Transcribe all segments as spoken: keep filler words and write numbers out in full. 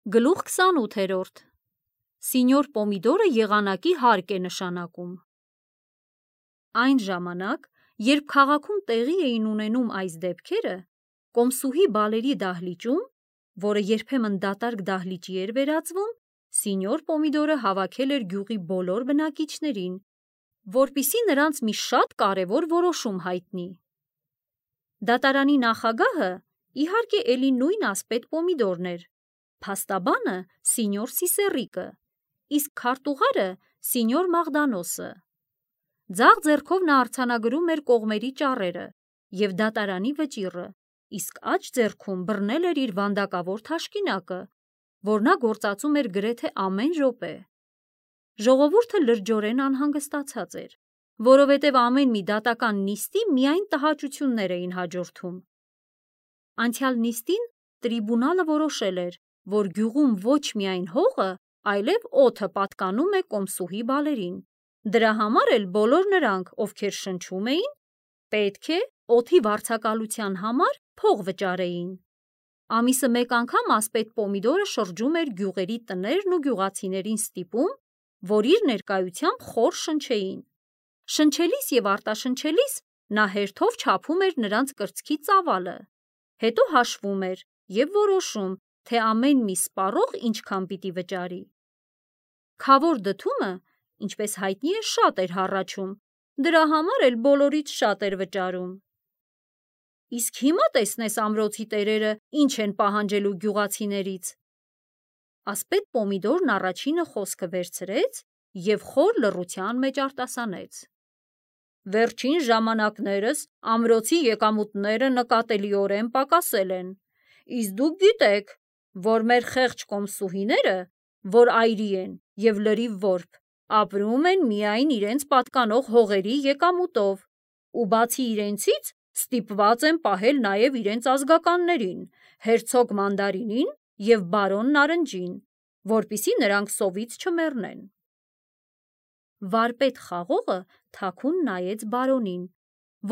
Գլուխ քսանութերորդ Սինյոր Պոմիդորը եղանակի հարկ է նշանակում։ Այն ժամանակ, երբ քաղաքում տեղի էին ունենում այս դեպքերը, կոմսուհի բալերի դահլիճում, որը երբեմն դատարկ դահլիճի էր վերածվում, Սինյոր Պոմիդորը հավաքել էր գյուղի բոլոր բնակիչներին, որպեսզի նրանց մի շատ կարևոր որոշում հայտնի։ Դատարանի նախագահը, իհարկե, էլի նույն ասպետ Պոմիդորն էր, փաստաբանը Սինյոր Սիսեռիկը, իսկ քարտուղարը Սինյոր Մաղդանոսը։ Ձախ ձեռքով նա արձանագրում էր կողմերի ճառերը և դատարանի վճիռը, իսկ աջ ձեռքում բռնել էր իր վանդակավոր թաշկինակը, որ նա գործածում էր գրեթե ամեն րոպե։ Ժողովուրդը լրջորեն անհանգստացած էր, որովհետև ամեն մի դատական նիստի միայն տհաճություններ էին հաջորդում։ Անցյալ նիստին տրիբունալը որոշել էր, որ գյուղում ոչ միայն հողը, այլև օդը պատկանում է կոմսուհի բալերին։ Դրա համար էլ բոլոր նրանք, ովքեր շնչում էին, պետք է օդի վարձակալության համար փող վճարեին։ Ամիսը մեկ անգամ ասպետ Պոմիդորը շրջում էր գյուղերի տներն ու գյուղացիներին ստիպում, որ իր ներկայությամբ խոր շնչեին։ Շնչելիս և արտաշնչելիս նա հերթով չափում էր նրանց կրծքի ծավալը, հետո հաշվում էր և որոշում, թե ամեն մի սպառող ինչքան պիտի վճարի։ Քավոր դդումը, ինչպես հայտնի է, շատ էր հառաչում, դրա համար էլ բոլորից շատ էր վճարում։ Իսկ հիմա տեսնես ամրոցի տերերը ինչ են պահանջելու գյուղացիներից։ Ասպետ Պոմիդորն առաջինը խոսքը վերցրեց և խոր լռության մեջ արտասանեց. Վերջին ժամանակներս ամրոցի եկամուտները նկատելիորեն պակասել են, իսկ դուք գիտեք, որ մեր խեղճ կոմսուհիները, որ այրի են և լրիվ որբ, ապրում են միայն իրենց պատկանող հողերի եկամուտով, ու բացի իրենցից ստիպված են պահել նաև իրենց ազգականներին, հերցոգ Մանդարինին և բարոն Նարնջին, որպեսզի նրանք սովից չմեռնեն։ Վարպետ Խաղողը թաքուն նայեց բարոնին,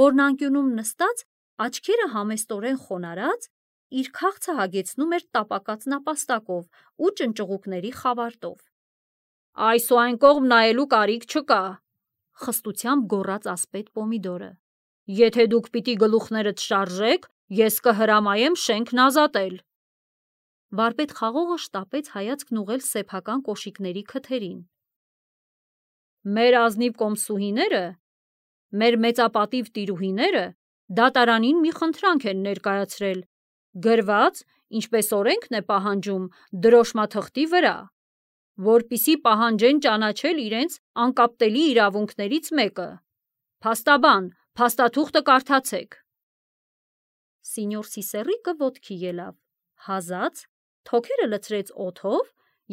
որն անկյունում նստած, աչքերը համեստորեն խոնարհած, իր քաղցը հագեցնում էր տապակած նապաստակով ու ճնճղուկների խավարտով։ Այս ու այն կողմ նայելու կարիք չկա, խստությամբ գոռաց ասպետ Պոմիդորը։ Եթե դուք պիտի գլուխներդ շարժեք, ես կհրամայեմ շենքն ազատել։ Վարպետ Խաղողը շտապեց հայացքն ուղղել սեփական կոշիկների քթերին։ Մեր ազնիվ կոմսուհիները, մեր մեծապատիվ տիրուհիները դատարանին մի խնդրանք են ներկայացրել, գրված, ինչպես օրենքն է պահանջում, դրոշմաթղթի վրա, որպեսզի պահանջեն ճանաչել իրենց անկապտելի իրավունքներից մեկը։ Փաստաբան, փաստաթուղթը կարդացեք։ Սինյոր Սիսեռիկը ոտքի ելավ, հազաց, թոքերը լցրեց օդով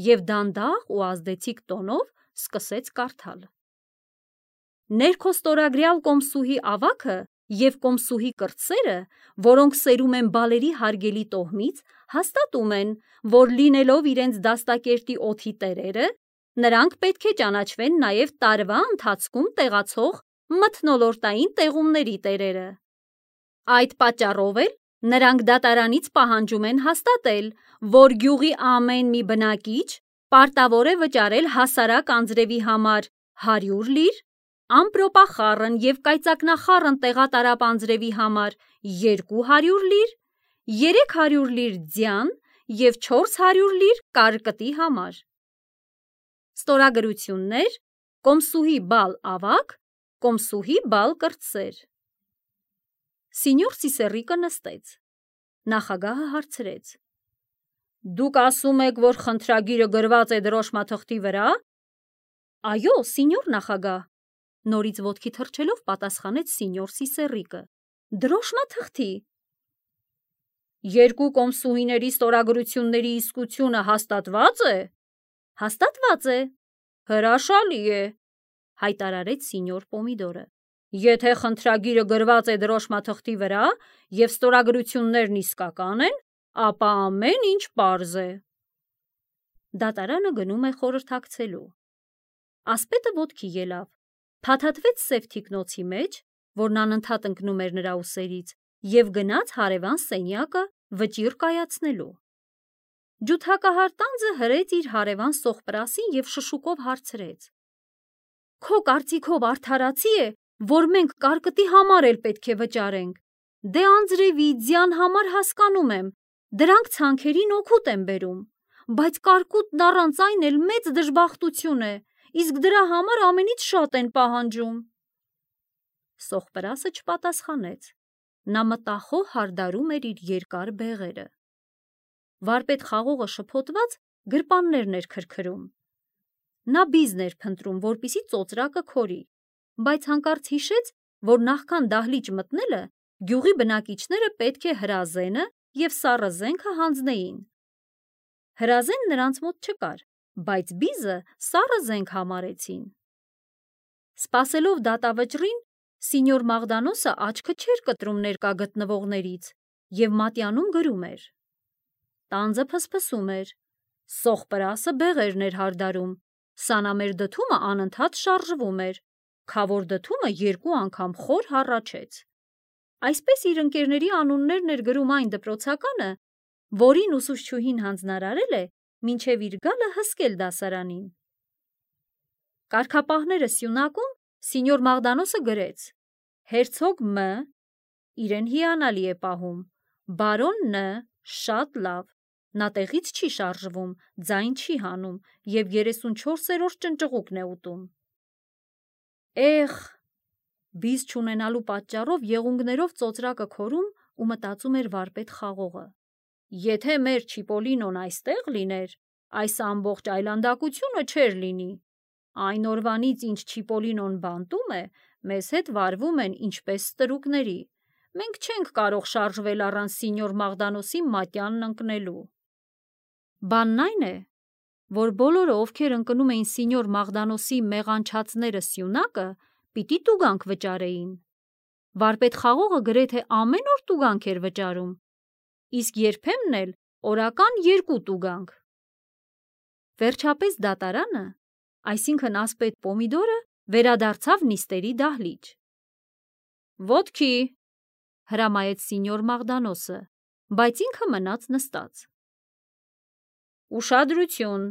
և դանդաղ ու ազդեցիկ տոնով սկսեց կարդալ. Ներքո ստորագրյալ կոմսուհի ավագը և կոմսուհի կրտսերը, որոնք սերում են բալերի հարգելի տոհմից, հաստատում են, որ լինելով իրենց դաստակերտի օդի տերերը, նրանք պետք է ճանաչվեն նաև տարվա ընթացքում տեղացող մթնոլորտային տեղումների տերերը։ Այդ պատճառով էլ նրանք դատարանից պահանջում են հաստատել, որ գյուղի ամեն մի բնակիչ պարտավոր է վճարել հասարակ անձրևի համար հարյուր լիր, ամպրոպախառն և կայծակնախառն տեղատարապ անձրևի համար երկու հարյուր լիր, երեք հարյուր լիր ձյան և չորս հարյուր լիր կարկտի համար։ Ստորագրություններ, կոմսուհի բալ ավագ, կոմսուհի բալ կրտսեր։ Սինյոր Սիսեռիկը նստեց։ Նախագահը հարցրեց. Դուք ասում եք, որ խնդրագիրը գրված է դրոշմաթղթի վրա։ Այո, սինյոր նախագահ, նորից ոտքի թռչելով պատասխանեց սինյոր Սիսեռիկը։ Դրոշմաթղթի։ Երկու կոմսուհիների ստորագրությունների իսկությունը հաստատվա՞ծ է։ Հաստատված է։ Հրաշալի է, հայտարարեց սինյոր Պոմիդորը։ Եթե խնդրագիրը գրված է դրոշմաթղթի վրա և ստորագրություններն իսկական են, ապա ամեն ինչ պարզ է։ Դատարանը գնում է խորհրդակցելու։ Ասպետը ոտքի ելավ, փաթաթվեց սև թիկնոցի մեջ, որն անընդհատ ընկնում էր նրա ուսերից, և գնաց հարևան սենյակը վճիռ կայացնելու։ Ջութակահար տանձը հրեց իր հարևան Սողպրասին և շշուկով հարցրեց. Քո կարծիքով արդարացի է, որ մենք կարկտի համար էլ պետք է վճարենք։ Դե անձրևի, ձյան համար հասկանում եմ, դրանք ցանքերին օգուտ են բերում, բայց կարկուտն առանց այն էլ մեծ դժբախտություն է, իսկ դրա համար ամենից շատ են պահանջում։ Սողպրասը չպատասխանեց, նա մտախոհ հարդարում էր իր երկար բեղերը։ Վարպետ խաղողը շփոթված գրպաններն էր քրքրում։ Նա բիզն էր փնտրում, որպեսզի ծոծրակը քորի, բայց հանկարծ հիշեց, որ նախքան դահլիճ մտնելը գյուղի բնակիչները պետք է հրազենը և սառը զենքը հանձնեին։ Հրազեն նրանց մոտ չկար, բայց բիզը սառը զենք համարեցին։ Սպասելով դատավճռին, Սինյոր Մաղդանոսը աչքը չէր կտրում ներկա գտնվողներից և մատյանում գրում էր։ Տանձը փսփսում էր, Սողպրասը բեղերն էր հարդարում, սանամեր դդումը անընդհատ շարժվում էր, քավոր դդումը երկու անգամ խոր հառաչեց։ Այսպես իր ընկերների անուններն էր գրում այն դպրոցականը, որին ուսուցչուհին հանձնարարել է մինչև իր գալը հսկել դասարանին։ Կարգապահները սյունակում Սինյոր Մաղդանոսը գրեց. Հերցոգ Մ. իրեն հիանալի է պահում, բարոն Ն. շատ լավ, նա տեղից չի շարժվում, ձայն չի հանում և երեսունչորսերորդ ճնճղուկն է ուտում։ Էխ, բիզ չունենալու պատճառով եղունգներով ծոծրակը քորում ու մտածում էր վարպետ խաղողը։ Եթե մեր Չիպոլինոն այստեղ լիներ, այս ամբողջ այլանդակությունը չէր լինի։ Այն օրվանից, ինչ Չիպոլինոն բանտում է, մեզ հետ վարվում են ինչպես ստրուկների։ Մենք չենք կարող շարժվել առանց Սինյոր Մաղդանոսի մատյանն ընկնելու։ Բանն այն է, որ բոլորը, ովքեր ընկնում էին Սինյոր Մաղդանոսի մեղանչածները սյունակը, պիտի տուգանք վճարեին։ Վարպետ խաղողը գրեթե ամեն օր տուգանք էր վճարում, իսկ երբեմն էլ օրական երկու տուգանք։ Վերջապես դատարանը, այսինքն ասպետ Պոմիդորը, վերադարձավ նիստերի դահլիճ։ Ոտքի, հրամայեց Սինյոր Մաղդանոսը, բայց ինքը մնաց նստած։ Ուշադրություն,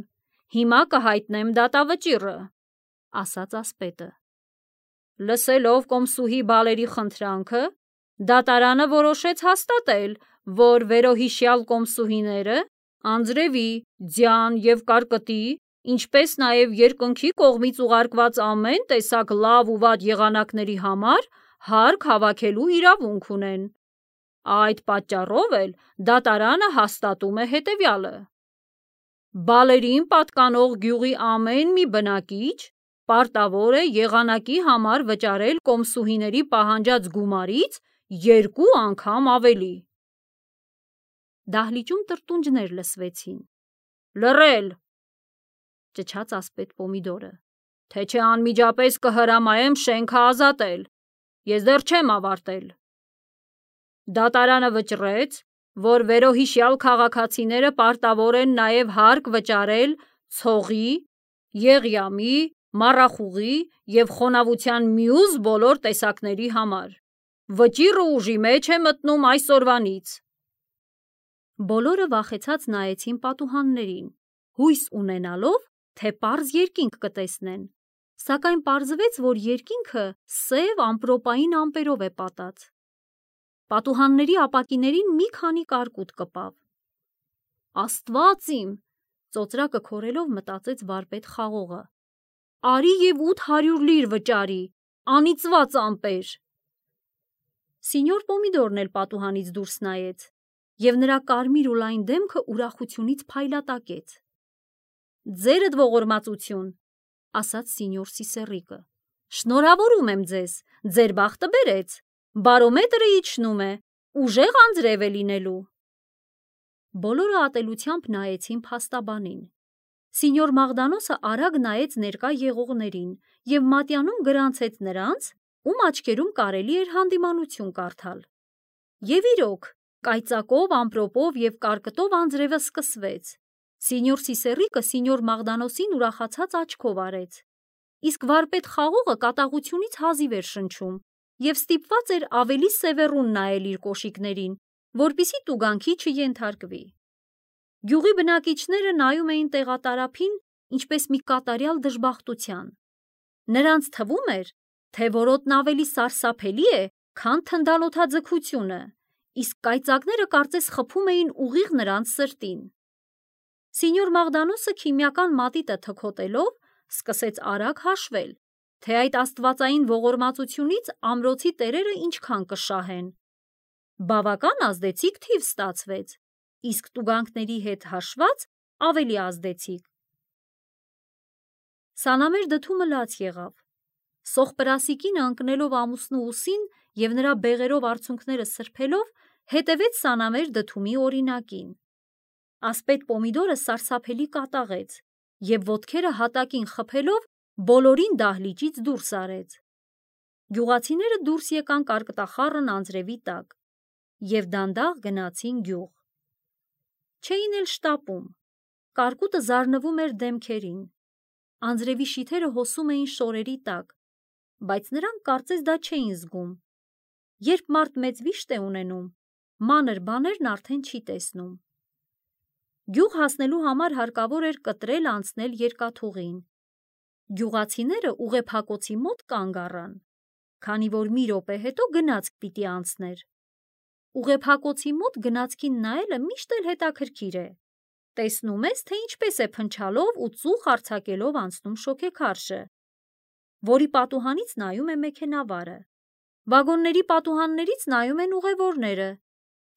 հիմա կհայտնեմ դատավճիռը, ասաց ասպետը։ Լսելով կոմսուհի բալերի խնդրանքը, դատարանը որոշեց հաստատել, որ վերոհիշյալ կոմսուհիները անձրևի, ձյան և կարկտի, ինչպես նաև երկնքի կողմից ուղարկված ամեն տեսակ լավ ու վատ եղանակների համար հարկ հավաքելու իրավունք ունեն։ Այդ պատճառով էլ դատարանը հաստատում է հետևյալը. Բալերին պատկանող գյուղի ամեն մի բնակիչ պարտավոր է եղանակի համար վճարել կոմսուհիների պահանջած գումարից երկու անգամ ավելի։ Դահլիճում տրտունջներ լսվեցին։ Լռել, ճչաց ասպետ Պոմիդորը, թե չէ անմիջապես կհրամայեմ շենքը ազատել։ Ես դեռ չեմ ավարտել։ Դատարանը վճռեց, որ վերոհիշյալ քաղաքացիները պարտավոր են նաև հարկ վճարել ցողի, եղյամի, մառախուղի և խոնավության մյուս բոլոր տեսակների համար։ Վճիռը ուժի մեջ է մտնում այսօրվանից։ Բոլորը վախեցած նայեցին պատուհաններին, հույս ունենալով, թե պարզ երկինք կտեսնեն, սակայն պարզվեց, որ երկինքը սև ամպրոպային ամպերով է պատած։ Պատուհանների ապակիներին մի քանի կարկուտ կպավ։ Աստված իմ, ծոծրակը քորելով մտածեց վարպետ խաղողը, արի և ութ հարյուր լիր վճարի, անիծված ամպեր։ Սինյոր Պոմիդորն էլ պատուհանից դուրս նայեց, և նրա կարմիր ու լայն դեմքը ուրախությունից փայլատակեց։ Ձերդ ողորմածություն, ասաց Սինյոր Սիսեռիկը, շնորհավորում եմ ձեզ, ձեր բախտը բերեց, բարոմետրը իջնում է, ուժեղ անձրև է լինելու։ Բոլորը ատելությամբ նայեցին փաստաբանին։ Սինյոր Մաղդանոսը արագ նայեց ներկա եղողներին և մատյանում գրանցեց նրանց, ում աչքերում կարելի էր հանդիմանություն կարդալ։ Եվ իրոք, կայծակով, ամպրոպով և կարկտով անձրևը սկսվեց։ Սինյոր Սիսեռիկը Սինյոր Մաղդանոսին ուրախացած աչքով արեց, իսկ վարպետ խաղողը կատաղությունից հազիվ էր շնչում և ստիպված էր ավելի սևեռուն նայել իր կոշիկներին, որպեսզի տուգանքի չենթարկվի։ Գյուղի բնակիչները նայում էին տեղատարափին ինչպես մի կատարյալ դժբախտության։ Նրանց թվում էր, թե որոտն ավելի սարսափելի է, քան թնդանոթաձգությունը, իսկ կայծակները կարծես խփում էին ուղիղ նրանց սրտին։ Սինյոր Մաղդանոսը քիմիական մատիտը թքոտելով սկսեց արագ հաշվել, թե այդ աստվածային ողորմածությունից ամրոցի տերերը ինչքան կշահեն։ Բավական ազդեցիկ թիվ ստացվեց, իսկ տուգանքների հետ հաշված ավելի ազդեցիկ։ Սանամեր դդումը լաց եղավ։ Սոխպրասիկինը ընկնելով ամուսնու ուսին և նրա բեղերով արցունքները սրբելով, հետևեց Սանամեր դդումի օրինակին։ Ասպետ Պոմիդորը սարսափելի կատաղեց և ոտքերը հատակին խփելով բոլորին դահլիճից դուրս արեց։ Գյուղացիները դուրս եկան կարկտախառն անձրևի տակ և դանդաղ գնացին գյուղ։ Չէին էլ շտապում, կարկուտը զարնվում էր դեմքերին, անձրևի շիթերը հոսում էին շորերի տակ, բայց նրանք կարծես դա չէին զգում։ Երբ մարդ մեծ վիշտ է ունենում, մանր բաներն արդեն չի տեսնում։ Գյուղ հասնելու համար հարկավոր էր կտրել անցնել երկաթուղին։ Գյուղացիները ուղեփակոցի մոտ կանգ առան, քանի որ մի րոպե հետո գնացք պիտի անցներ։ Ուղեփակոցի մոտ գնացքին նայելը միշտ էլ հետաքրքիր է։ Տեսնում ես, թե ինչպես է փնչալով ու ծուխ արձակելով անցնում շոգեքարշը, որի պատուհանից նայում է մեքենավարը։ Վագոնների պատուհաններից նայում են ուղևորները,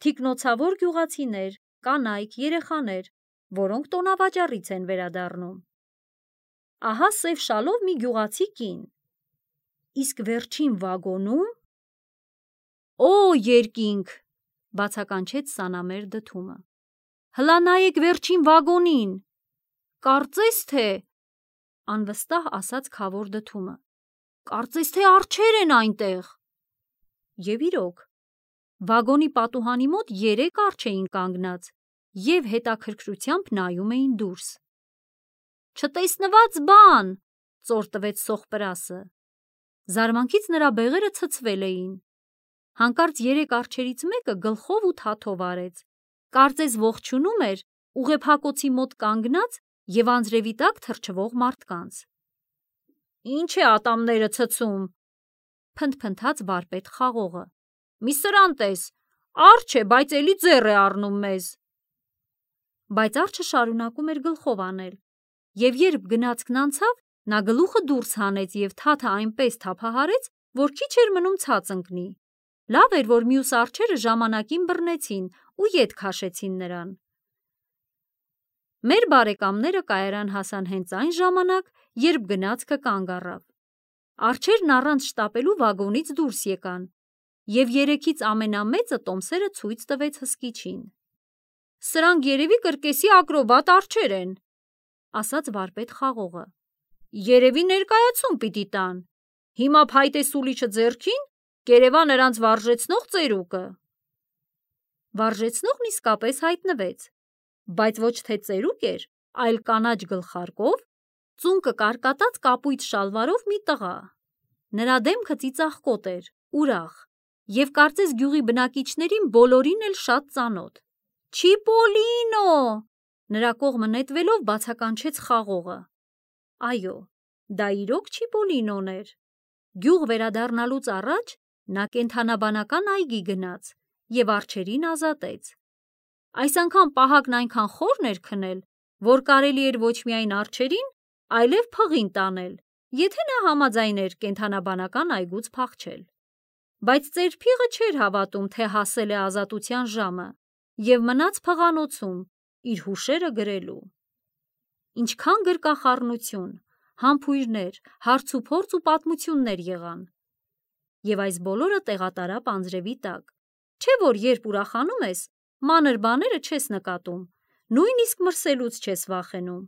թիկնոցավոր գյուղացիներ, կանայք, երեխաներ, որոնք տոնավաճառից են վերադառնում։ Ահա սև շալով մի գյուղացի կին։ Իսկ վերջին վագոնում… Օ, երկինք, բացականչեց Սանամեր դդումը։ Հլա նայեք վերջին վագոնին, կարծես թե… Անվստահ ասաց քավոր դդումը։ Կարծես թե արջեր են այնտեղ։ Եվ իրոք, վագոնի պատուհանի մոտ երեք արջեր էին կանգնած և հետաքրքրությամբ նայում էին դուրս։ Չտեսնված բան, ծոր տվեց Սոխպրասը։ Զարմանքից նրա բեղերը ցցվել էին։ Հանկարծ երեք արջերից մեկը գլխով ու թաթով արեց, կարծես ողջունում էր ուղեփակոցի մոտ կանգնած և անձրևի տակ թրջվող մարդկանց։ Ինչ է ատամները ցցում, փնթփնթաց վարպետ Խաղողը։ Մի սրան տես, արջ է, բայց էլի ձեռ է առնում մեզ։ Բայց արջը շարունակում էր գլխով անել, և երբ գնացքն անցավ, նա գլուխը դուրս հանեց և թաթը այնպես թափահարեց, որ քիչ էր մնում ցած ընկնի։ Լավ էր, որ մյուս արջերը ժամանակին բռնեցին ու ետ քաշեցին նրան։ Մեր բարեկամները կայարան հասան հենց այն ժամանակ, երբ գնացքը կանգ առավ։ Արջերն առանց շտապելու վագոնից դուրս եկան, և երեքից ամենամեծը տոմսերը ցույց տվեց հսկիչին։ Սրանք երևի կրկեսի ակրոբատ արջեր են, ասաց վարպետ Խաղողը։ Երևի ներկայացում պիտի տան։ Հիմա փայտե սուլիչը ձեռքին, կերևա նրանց վարժեցնող ծերուկը։ Վարժեցնողն իսկապես հայտնվեց, բայց ոչ թե ծերուկ էր, այլ կանաչ գլխարկով, ծունկը կարկատած կապույտ շալվարով մի տղա։ Նրա դեմքը ծիծաղկոտ էր, ուրախ, և կարծես գյուղի բնակիչներին բոլորին էլ շատ ծանոթ։ Չիպոլինո, նրա կողմը նետվելով բացականչեց Խաղողը։ Այո, դա իրոք Չիպոլինոն էր։ Գյուղ վերադառնալուց առաջ նա կենդանաբանական այգի գնաց և արջերին ազատեց։ Այս անգամ պահակն այնքան խորն էր քնել, որ կարելի էր ոչ միայն արջերին, այլև փղին տանել, եթե նա համաձայն էր կենդանաբանական այգուց փախչել։ Բայց ծեր փիղը չէր հավատում, թե հասել է ազատության ժամը, և մնաց փղանոցում, իր հուշերը գրելու։ Ինչքան գրկախառնություն, համբույրներ, հարցուփորձ ու պատմություններ եղան։ Եվ այս բոլորը տեղատարապ անձրևի տակ, չէ՞ որ երբ ուրախանում ես, մանր բաները չես նկատում, նույնիսկ մրսելուց չես վախենում։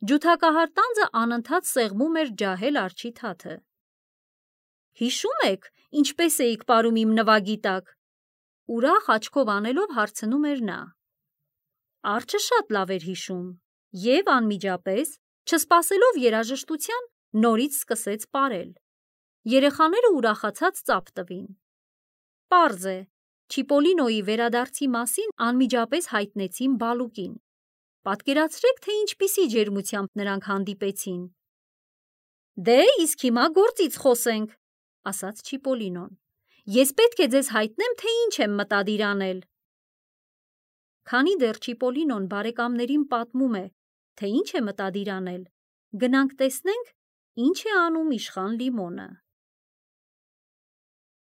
Ջութակահար տանձը անընդհատ սեղմում էր ջահել արջի թաթը։ Հիշո՞ւմ եք, ինչպես էիք պարում իմ նվագի տակ, ուրախ աչքով անելով հարցնում էր նա։ Արջը շատ լավ էր հիշում և անմիջապես, չսպասելով երաժշտության, նորից սկսեց պարել։ Երեխաները ուրախացած ծափ տվին։ Պարզ է, Չիպոլինոյի վերադարձի մասին անմիջապես հայտնեցին Բալուկին։ Պատկերացրեք, թե ինչպիսի ջերմությամբ նրանք հանդիպեցին։ Դե, իսկ հիմա գործից խոսենք, ասաց Չիպոլինոն։ Ես պետք է ձեզ հայտնեմ, թե ինչ եմ մտադիր անել։ Քանի դեռ Չիպոլինոն բարեկամներին պատմում է, թե ինչ է մտադիր անել, գնանք տեսնենք, ինչ է անում իշխան Լիմոնը։